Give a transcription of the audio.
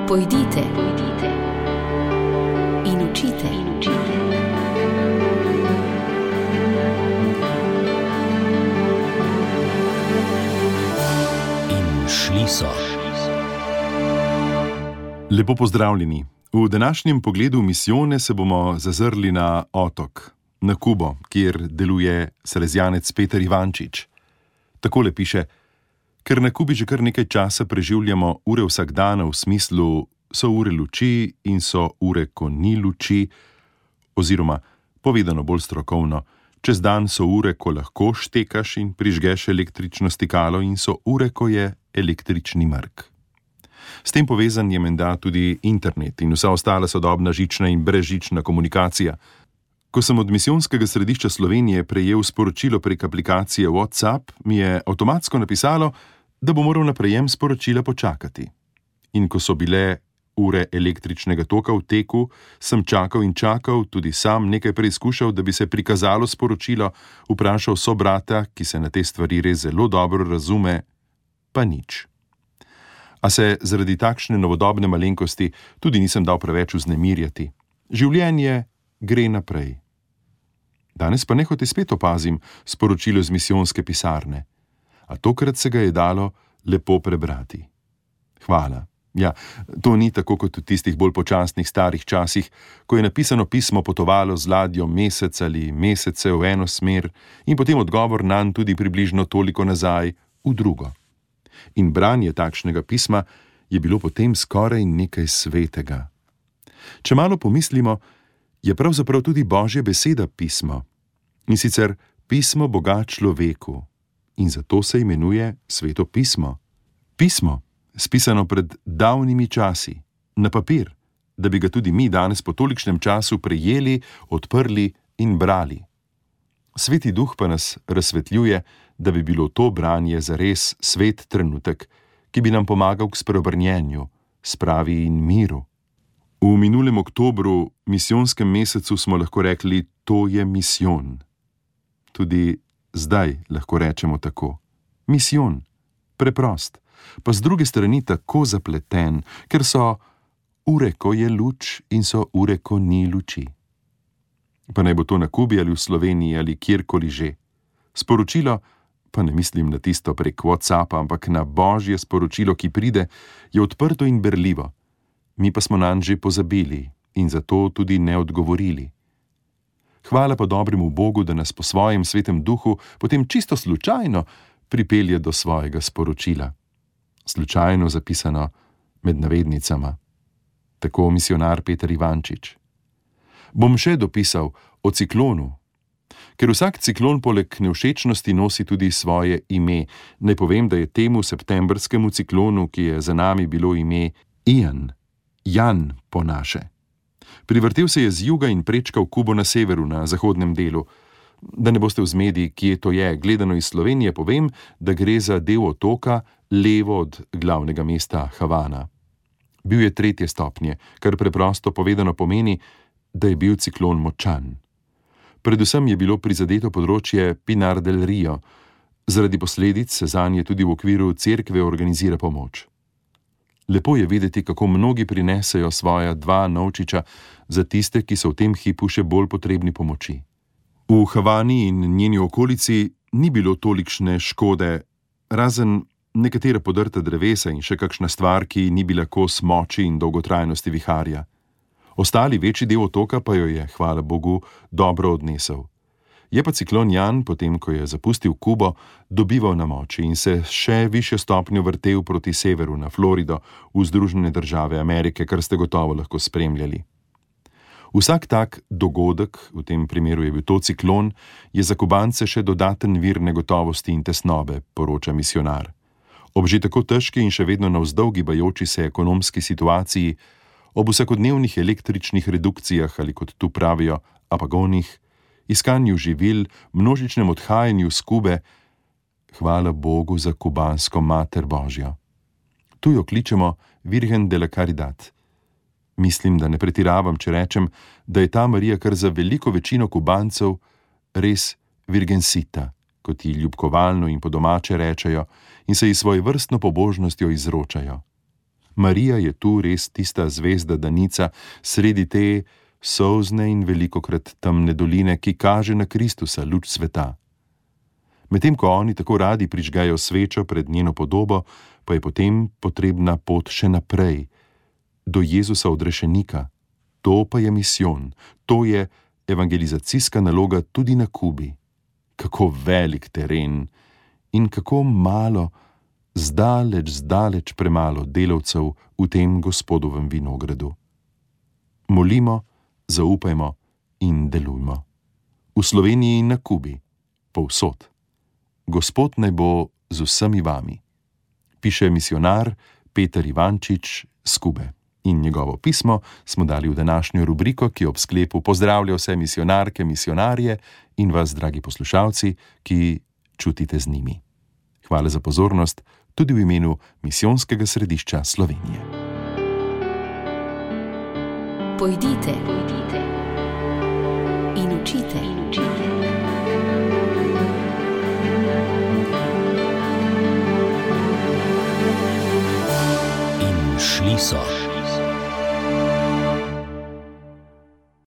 Pojdite in učite. In šli so. Lepo pozdravljeni. V današnjem pogledu misijone se bomo zazrli na otok, na Kubo, kjer deluje salezjanec Peter Ivančič. Takole piše: ker na Kubi že kar nekaj časa preživljamo ure vsakdana v smislu so ure luči in so ure, ko ni luči, oziroma, povedano bolj strokovno, čez dan so ure, ko lahko štekaš in prižgeš električno stikalo in so ure, ko je električni mrk. S tem povezan je menda tudi internet in vsa ostala sodobna žična in brezžična komunikacija. Ko sem od misijonskega središča Slovenije prejel sporočilo prek aplikacije WhatsApp, mi je avtomatsko napisalo, da bo moral na prejem sporočila počakati. In ko so bile ure električnega toka v teku, sem čakal in čakal, tudi sam nekaj preizkušal, da bi se prikazalo sporočilo, vprašal sobrata, ki se na te stvari res zelo dobro razume, pa nič. A se zaradi takšne novodobne malenkosti tudi nisem dal preveč vznemirjati. Življenje gre naprej. Danes pa nehote spet opazim sporočilo z misijonske pisarne. A tokrat se ga je dalo lepo prebrati. Hvala. Ja, to ni tako kot v tistih bolj počasnih starih časih, ko je napisano pismo potovalo z ladjo mesec ali mesece v eno smer in potem odgovor nanj tudi približno toliko nazaj v drugo. In branje takšnega pisma je bilo potem skoraj nekaj svetega. Če malo pomislimo, je pravzaprav tudi Božja beseda pismo. In sicer pismo Boga človeku. In zato se imenuje Sveto pismo. Pismo, spisano pred davnimi časi, na papir, da bi ga tudi mi danes po tolikšnem času prejeli, odprli in brali. Sveti duh pa nas razsvetljuje, da bi bilo to branje zares svet trenutek, ki bi nam pomagal k spreobrnjenju, spravi in miru. V minulem oktobru, misijonskem mesecu, smo lahko rekli, to je misijon. Tudi zdaj lahko rečemo tako. Misijon, preprost, pa z druge strani tako zapleten, ker so ure, ko je luč in so ure, ko ni luči. Pa naj bo to na Kubi ali v Sloveniji ali kjerkoli že. Sporočilo, pa ne mislim na tisto prek WhatsAppa, ampak na Božje sporočilo, ki pride, je odprto in berljivo. Mi pa smo nanj že pozabili in zato tudi ne odgovorili. Hvala pa dobremu Bogu, da nas po svojem svetem duhu potem čisto slučajno pripelje do svojega sporočila. Slučajno zapisano med navednicama. Tako misijonar Peter Ivančič. Bom še dopisal o ciklonu. Ker vsak ciklon poleg nevšečnosti nosi tudi svoje ime. Naj povem, da je temu septembrskemu ciklonu, ki je za nami, bilo ime Ian, Jan po naše. Privrtel se je z juga in prečkal Kubo na severu, na zahodnem delu. Da ne boste v zmedi, kje to je, gledano iz Slovenije, povem, da gre za del otoka levo od glavnega mesta Havana. Bil je 3. stopnje, kar preprosto povedano pomeni, da je bil ciklon močan. Predvsem je bilo prizadeto področje Pinar del Rio. Zaradi posledic se zanje tudi v okviru cerkve organizira pomoč. Lepo je videti, kako mnogi prinesejo svoja 2 novčiča za tiste, ki so v tem hipu še bolj potrebni pomoči. V Havani in njeni okolici ni bilo tolikšne škode, razen nekatera podrta drevesa in še kakšna stvar, ki ni bila kos moči in dolgotrajnosti viharja. Ostali večji del otoka pa jo je, hvala Bogu, dobro odnesel. Je pa ciklon Jan, potem ko je zapustil Kubo, dobival na moči in se še višjo stopnjo vrtel proti severu na Florido, v Združene države Amerike, kar ste gotovo lahko spremljali. Vsak tak dogodek, v tem primeru je bil to ciklon, je za Kubance še dodaten vir negotovosti in tesnobe, poroča misijonar. Ob že tako težki in še vedno navzdol gibajoči se ekonomski situaciji, ob vsakodnevnih električnih redukcijah ali kot tu pravijo apagonih, iskanju živil, množičnem odhajanju z Kube, hvala Bogu za kubansko Mater Božjo. Tu jo kličemo Virgen de la Caridad. Mislim, da ne pretiravam, če rečem, da je ta Marija kar za veliko večino Kubancev res Virgensita, kot ji ljubkovalno in po domače rečejo in se ji svojevrstno pobožnostjo izročajo. Marija je tu res tista zvezda danica sredi te solzne in velikokrat temne doline, ki kaže na Kristusa, luč sveta. Medtem ko oni tako radi prižgajo svečo pred njeno podobo, pa je potem potrebna pot še naprej, do Jezusa odrešenika. To pa je misijon, to je evangelizacijska naloga tudi na Kubi. Kako velik teren in kako malo, zdaleč premalo delavcev v tem Gospodovem vinogradu. Molimo, zaupajmo in delujmo. V Sloveniji in na Kubi, povsod. Gospod naj bo z vsemi vami, piše misijonar Peter Ivančič z Kube. In njegovo pismo smo dali v današnjo rubriko, ki ob sklepu pozdravlja vse misijonarke, misijonarje in vas, dragi poslušalci, ki čutite z njimi. Hvala za pozornost tudi v imenu Misijonskega središča Slovenije. Pojdite in učite. In šli so.